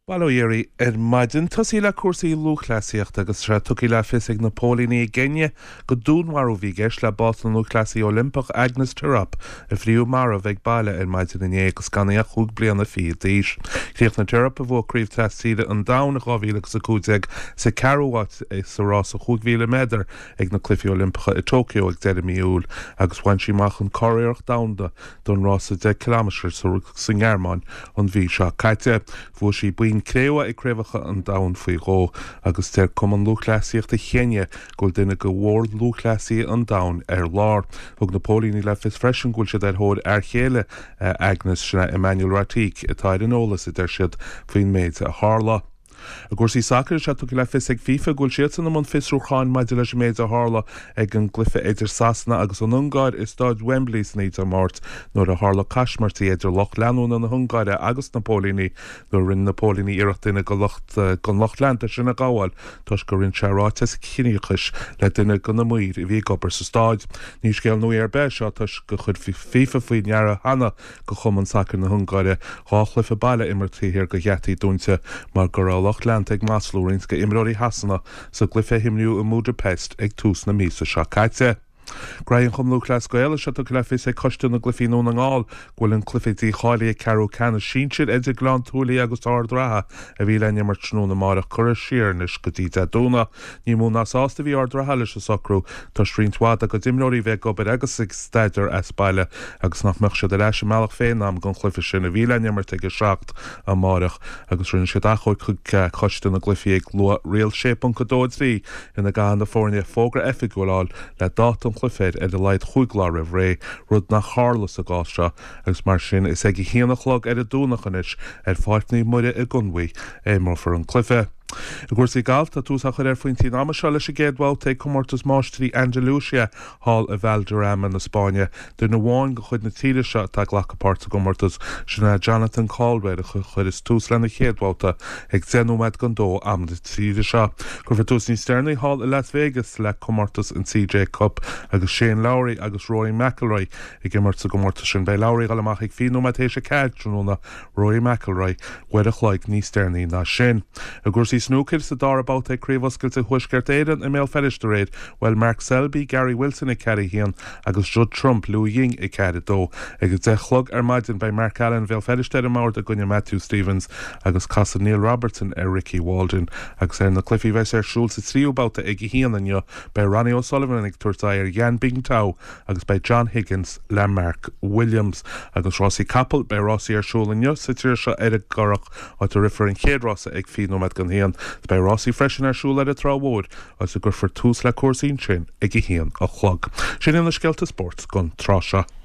Bail ó Dhia oraibh ar maidin. Tosaí le cúrsaí lúthchleasaíochta agus tá sé tugtha le fios ag na póilíní i gCeiniá gur dúnmharú a bhí i gceist le bás na lúthchleasaí Oilimpeach Agnes Tirop a fríodh marbh ag baile ar maidin inné agus gan í ach chúig bliana fichead d'aois. Chríochnaigh Tirop, a bhuaigh Craobh Tras-Tíre an Domhain i 2015, sa ceathrú háit sa rása 5,000 méadar ag na Cluichí Oilimpeacha i Tokyo ag deireadh mí Iúil agus bhain sí amach an curiarracht domhanda don rása 10 ciliméadar sa nGearmáin an mhí seo caite. Bhuaigh sí boinn cré-umha ag Craobhacha an Domhain faoi dhó agus deir Cumann Lúthchleasaíochta Chéinia go bhfuil duine de mhór-lúthchleasaithe an domhain ar lár. Thug na póilíní le fios freisin go bhfuil siad ar thóir fhear chéile Agnes, sin é Emmanuel Rotich, atá ar an eolas, a deir siad, faoin méid a tharla. I gcúrsaí sacair, tá sé tugtha le fios ag FIFA go bhfuil siadsan i mbun fiosrúcháin maidir leis an méid a tharla ag an gcluiche idir Sasana agus an Ungáir i Stáid Wembley san oíche Dé Máirt nuair a tharla caismirtí idir lucht leanúna na hUngáire agus na póilíní nuair a rinne na póilíní iarracht duine den lucht leanta sin a ghabháil toisc gur roinn sé ráiteas ciníochais le duine de na maoir a bhí ag obair sa stáid. Ní scéal nua ar bith é seo toisc gur chuir FIFA faoi ndeara cheana do Chumann Sacair na hUngáire 2 chluiche baile a imirt taobh thiar de gheataí dúnta mar go raibh a lucht leanta ag maslú roinnt d'imreoirí Shasana sa gcluiche a himríodh i mBudapest ag tús na míosa seo caite. Graithe an Chumann Lúthchleas Gael, tá sé tugtha le fios ag Coiste na gCluichí i nDún na nGall go bhfuil an cluiche dícháilithe ceathrú ceannais sinsir idir Gleann tSúilí agus Ard Ratha a bhí le n-imirt tráthnóna amárach curtha siar anois go dtí Dé Domhnaigh. Ní mó ná sásta a bhí Ard Ratha leis an socrú toisc roinnt mhaith dá gcuid imreoirí bheith ag obair agus ag staidéar as baile agus nach mbeadh siad ar ais i mbealach féin in am don chluiche sin a bhí le n-imirt ag 7 amáireach agus rinne siad achomharc chuig Coiste na gCluichí ag lua Riail 6.23 ina gcaithfidh na foirne fógra oifigiúil a fháil le dáta an chluiche air ar a laghad chúig lá roimh ré, rud nach tharla sa gcás seo agus mar sin is ag a haon a chlog ar an Domhnach anois ar Pháirc Naomh Muire i gConmhaigh a imreofar an cluiche. I gcúrsaí gailf, tá tús á chur ar phointí an ama seo leis an gcéad bhabhta ag Comórtas Máistrí Andalusia thall i Valderrama na Spáinne. Duine amháin de chuid na tíre seo atá ag glacadh páirt sa gcomórtas, sin é Jonathan Caldwell a chuireas tús lena chéad bhabhta ag 10 nóiméad don dó am na tíre seo. Cuirfear tús níos deireanaí thall i Las Vegas le comórtas an CJ Cup agus Shane Lowry agus Rory McIlroy ag imirt sa gcomórtas sin. Beidh Lowry ag dul amach ag 20 nóiméad théis a 4 tráthnóna Rory McIlroy, uair a chloig níos deireanaí ná sin. I gcúrsaí snúcair, sa dara babhta ag Craobh Oscailte Thuaisceart Éireann i mBéal Feirste aréir, bhuail Mark Selby, Gary Wilson 4-1 agus Judd Trump, Liu Ying 4-2. Ag a 10 a chlog ar maidin beidh Mark Allen Bhéal Feirste ar an mbord i gcoinne Matthew Stevens agus casfaidh Neil Robertson ar Ricky Walden. Agus ar na cluichí a bheas ar siúl sa tríú babhta ag a haon inniu beidh Ronnie O'Sullivan ag tabhairt aghaidh ar Yan Bingtao agus beidh John Higgins le Mark Williams. Agus rásaí capall, beidh rásaí ar siúl inniu sa tír seo ar an gCurrach, áit a rithfear an chéad rása ag 20 nóiméad don haon. Beidh rásaí freisin ar siúl ar an Trá Mhór, áit a gcuirfear tús le cúrsaí ansin ag a haon a chlog. Sin iad na scéalta spóirt don tráth seo.